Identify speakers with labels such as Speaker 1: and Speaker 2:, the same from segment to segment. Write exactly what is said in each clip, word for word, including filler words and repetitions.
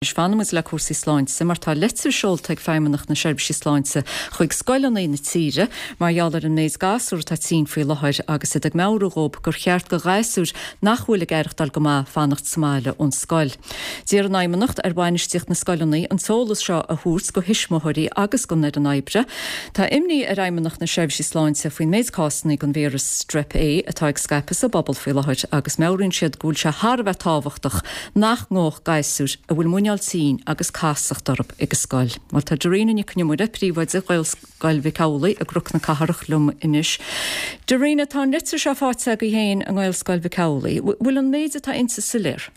Speaker 1: Anois fanfaidh muid le cúrsaí sláinte mar tá litir seolta ag Feidhmeannacht na Seirbhísí Sláinte chuig scoileanna na tíre mar gheall ar an méid gasúr atá tinn faoi láthair agus iad ag meabhrú dóibh gur cheart do ghasúir nach bhfuil ag aireachtáil go maith fanacht sa mbaile ón scoil. D'iarr an Fheidhmeannacht ar bhainistíocht na scoileanna an t-eolas seo a thabhairt do thuismitheoirí agus don fhoireann oibre. Tá imní ar Fheidhmeannacht na Seirbhísí Sláinte faoin méid cásanna den víreas strep A atá ag scaipeadh sa bpobal faoi láthair agus meabhraíonn siad go bhfuil sé thar a bheith tábhachtach nach ngabhfadh gasúir a bhfuil muineál tinn agus casacht orthu ag an scoil. Well tá Darina Nic Con Iomaire príomhoide Ghaelscoil Mhic Amhlaigh i gCnoc na Cathrach liom anois. Darina tá an litir seo faighte agaibh féin i nGaelscoil Mhic Amhlaigh, bhfuil an méid atá inti soiléir?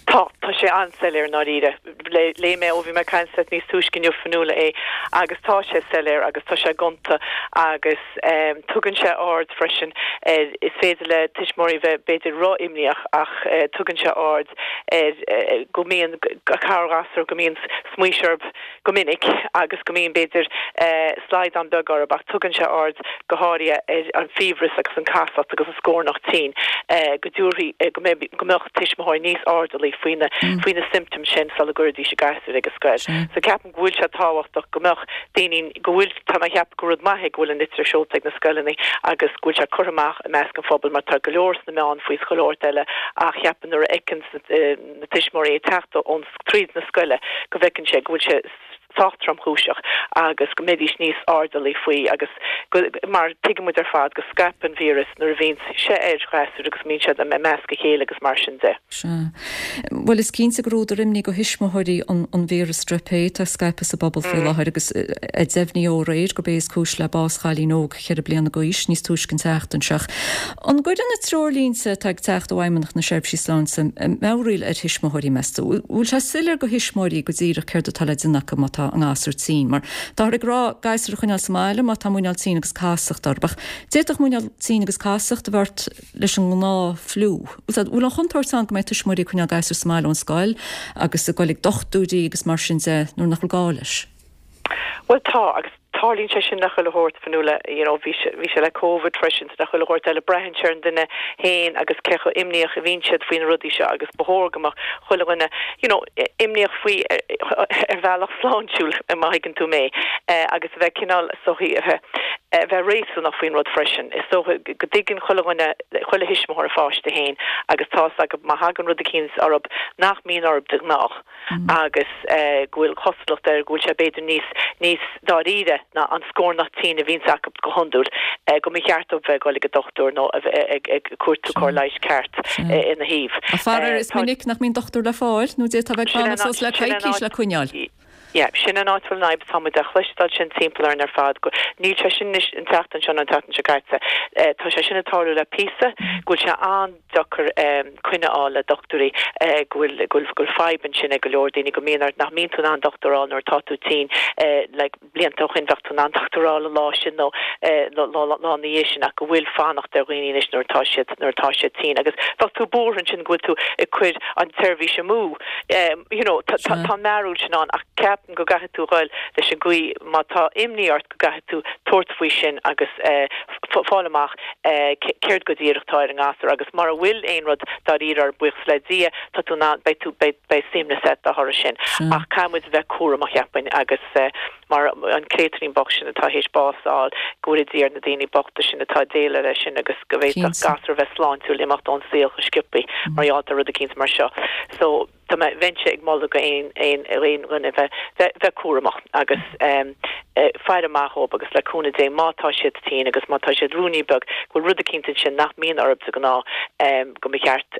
Speaker 2: Tá tá sé an-soiléir dáiríre léigh mé ó bhí mé caint níos túisce inniu Fionnuala é agus tá sé soiléir agus tá sé gonta agus um, tugann sé aird freisin er, is féidir le tuismitheoirí bheith b'fhéidir ró-imníoch ach uh, tugann sé aird ar uh, go mbíonn corrghasúr go mbíonn smaois orthu go minic agus go mbíonn b'fhéidir uh, slaghdán beag orthu ach tugann sé aird go háirithe ar an fiabhras agus an casacht agus an scornach tinn uh, go dtabharfaí uh, go mbeadh tuismitheoirí níos airdeallaí faoina mm. faoi na symptoms sin sula gcuirfidís a ngasúir ag an scoil. So ceapaim go bhfuil sé tábhachtach go mbeadh daoine go bhfuil tá mé ag ceapadh go rud maith go bhfuil an litir seolta ag na scoileanna agus go bhfuil sé curtha amach i measc an phobail mar tá go leor sna meáin faoi go leor eile ach ceapaim nuair a fheiceann na tuismitheoirí teacht ón tríd na scoile go bhfeiceann sé go bhfuil sé sách tromchúiseach agus go mbeidís níos airdeallaí faoi agus go, mar tuigimid ar fad go scaipeann víreas nuair a bhíonn sé ar ghasúir agus mbíonn siad i measc a chéile agus mar sin de.
Speaker 1: Well is cinnte gur údar imní do thuismitheoirí an, an víreas strep A tá scaipthe sa bpobal faoi mm. láthair agus a deimhníodh aréir gurb é is cúis le bás chailín óg ceithre bliana d'aois níos túisce an tseachtain seo. An gcuireann na treoirlínte atá ag teacht ó Fheidhmeannacht na Seirbhísí Sláinte meabhraíl ar thuismitheoirí meas tú. Bhfuil sé soiléir do thuismitheoirí go díreach céard atá le déanamh acu má tá an gasúr tinn, mar tá ag rá gasúr a choinneáil sa mbaile má tá muineál tinn agus casacht orthu. D'fhéadfadh muineál tinn agus casacht a bheith leis an ngnáth-fhliú. Bhfuil an chontúirt ann go mbeidh tuismitheoirí ag coinneáil gasúr sa mbaile ón scoil agus ag dul ag dochtúirí agus mar sin de nuair nach bhfuil gá leis.
Speaker 2: Well tá agus tarlaíonn sé sin nach chuile shórt Fionnuala you know bhí bhí sé le COVID freisin nach chuile shórt eile braitheann sé ar an duine féin agus cé chomh imníoch a bhíonn siad faoi na rudaí seo agus ba chóir go mbeadh chuile dhuine you know imníoch faoi ar bhealach sláintiúil má thuigeann tú mé agus a bheith cineál sochaí a bheith réasúnach faoin rud freisin. Is so go dtuigeann chuile dhuine chuile thuismitheoir a pháiste féin agus tá go má thagann rud eicínt orthu nach mbíonn orthu de ghnáth mm. agus go bhfuil cosúlacht air go bhfuil sé b'fhéidir níos níos dáiríre ná an scornach tinn a bhíonn acu go hiondúil go mba cheart dóibh bheith ag dul ag dochtúir nó ag ag cuartú cóir leighis ceart ina thaobh.
Speaker 1: A faraor is minic nach mbíonn dochtúir le fáil nó d'fhéadfá bheith ag fanacht le coicís le coinneáil.
Speaker 2: Ja, sin an áit bhfuil an fhadhb táimid a chloisteáil sin timpeall ar ar fad go níl sé sin an tseachtain seo an tseachtain seo caite. Tá sé sin ag tarlú le píosa go bhfuil sé an-deacair coinne a fháil le dochtúirí go bhfuil go bhfuil fadhb ansin ag go leor daoine go mbíonn nach mbíonn tú in ann dochtúir a fháil nuair atá tú tinn le blianta ó shin bheadh tú in ann dochtúir a fháil an lá sin nó lá lá na dhiaidh sin ach go bhfuil fanacht ar dhaoine anois nuair atá siad nuair atá siad tinn agus bheadh tú buartha ansin go bhfuil tú ag cur an tseirbhís amú you know tá an mbarúil sin ann ach ceapaim go gcaithfidh tú dul leis an gcaoi má tá imní ort go gcaithfidh tú tabhairt faoi sin agus fáil amach céard go díreach atá ar an ngasúr agus mura bhfuil aon rud dáiríre buíochas le Dia tá tú ná beidh tú beidh suaimhneas agat dá thoradh sin ach caithfimid bheith cúramach cheapfainn agus mar an créatúirín bocht sin atá théis bás a fháil go bhfuil Dia ar na daoine bochta sin atá ag déileáil leis sin agus go bhféadfadh gasúr bheith sláintiúil imeacht ón saol go sciobtha mar gheall ar rud eicínt mar seo. So tá mé bheinnse ag moladh go aon aon aon dhuine bheith bheith cúramach agus um, faire amach dóibh agus le cúnamh Dé má tá siad tinn agus má tá siad ruainnín beag go bhfuil rud eicínt sin nach mbíonn orthu de ghnáth um, go mba cheart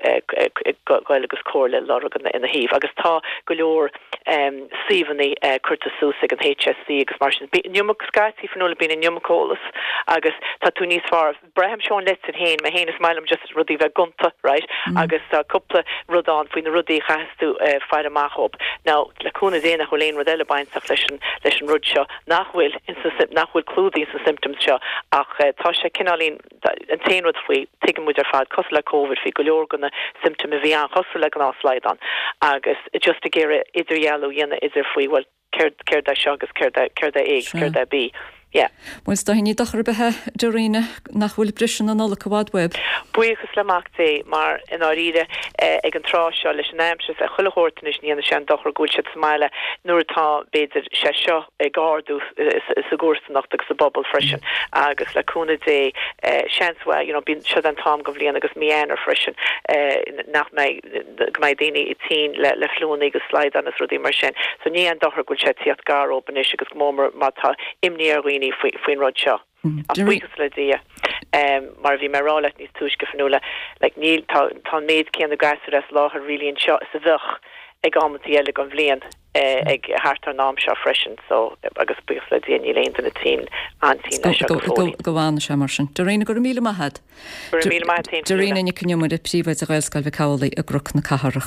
Speaker 2: dul agus comhairle lorg ina thaobh agus tá go leor um, suíomhanna uh, curtha suas ag an HSE agus mar sin iomarca scaití Fionnuala bíonn an iomarca eolas agus tá tú níos fearr braithim seo leat féin mé féin is maith liom just rudaí bheith gonta right mm. agus tá cúpla rud ann faoi na rudaí chaithfidh tú uh, faire amach dóibh. Now le cúnamh Dé nach bhfuil aon rud eile bainteach leis an leis an rud seo nach bhfuil nach bhfuil clúdaithe sna symptoms seo ach uh, tá sé cineáilín an t-aon rud faoi tuigimid ar fad cosúil le COVID bhí go leor de na symptoms a bhí an-chosúil le gnáthshlaghdán agus just ag iarraidh idirdhealú a dhéanamh idir faoi well céard céard é seo agus céard céard é A céard é B. Yeah.
Speaker 1: Bhuel is dóigh ní dochar ar bith é a Dhoireena nach bhfuil briseadh na Nollag i bhfad uaibh.
Speaker 2: Buíochas le Mac Dé mar i ndáiríre ag an tráth seo leis an aimsir is chuile shórt anois ní dhéanann sé an dochar go bhfuil siad sa mbaile nuair atá b'fhéidir sé seo ag ardú sa gcomharsanacht agus sa bpobal freisin agus le cúnamh Dé seans mhaith you know bíonn seo an t-am den bhliain agus mí Eanáir freisin nach mbeidh go mbeidh daoine tinn le le fliúnna agus slaghdán is rudaí mar sin. So ní aon dochar go bhfuil sé ag tíocht gar dóibh anois agus go mór má tá imní ar dhaoine faoin rud seo. Ach buíochas le Dia, mar a bhí mé a rá leat níos túisce, Fionnuala, like níl, tá, tá an méid céanna gasúr as láthair really anseo is a bheadh ag amantaí eile den bhliain ag thart ar an am seo freisin, so, agus buíochas le Dia níl aon duine tinn, an-tinn leis seo go fóill.
Speaker 1: Go bhfana sé mar sin. Doireena, go raibh míle maith agat.
Speaker 2: Go raibh míle maith agat féin,
Speaker 1: Doireena Nic Con Iomaire, Príomhoide Ghaelscoil Mhic Amhlaigh i gCnoc na Cathrach.